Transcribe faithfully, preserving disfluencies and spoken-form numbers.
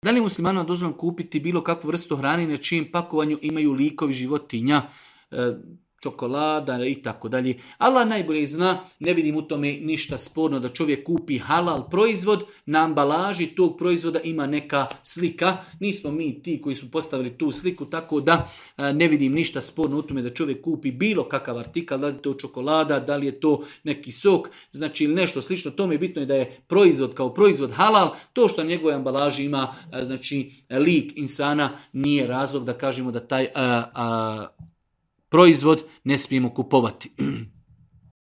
Da li je muslimanima dozvoljeno kupiti bilo kakvu vrstu hrane na čijem pakovanju imaju likovi životinja, e, čokolada i tako dalje? Allah najbolje zna, ne vidim u tome ništa sporno da čovjek kupi halal proizvod, na ambalaži tog proizvoda ima neka slika. Nismo mi ti koji su postavili tu sliku, tako da e, ne vidim ništa sporno u tome da čovjek kupi bilo kakav artikal, da li je to čokolada, da li je to neki sok, znači ili nešto slično. Tome je bitno je da je proizvod kao proizvod halal. To što na njegovoj ambalaži ima e, znači lik insana nije razlog da kažemo da taj a, a, proizvod ne smijemo kupovati.